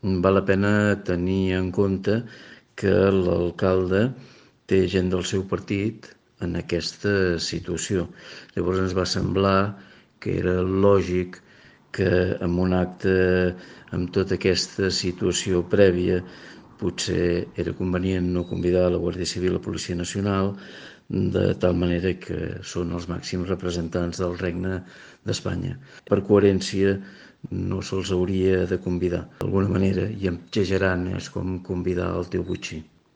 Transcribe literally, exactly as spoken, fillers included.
val la pena tenir en compte que l'alcalde té gent del seu partit en aquesta situació. Llavors ens va semblar que era lògic que en un acte amb tota aquesta situació prèvia potser era convenient no convidar la Guàrdia Civil i la Policia Nacional, de tal manera que són els màxims representants del Regne d'Espanya. Per coherència no se'ls hauria de convidar. D'alguna manera, i exagerant, és com convidar el teu botxí.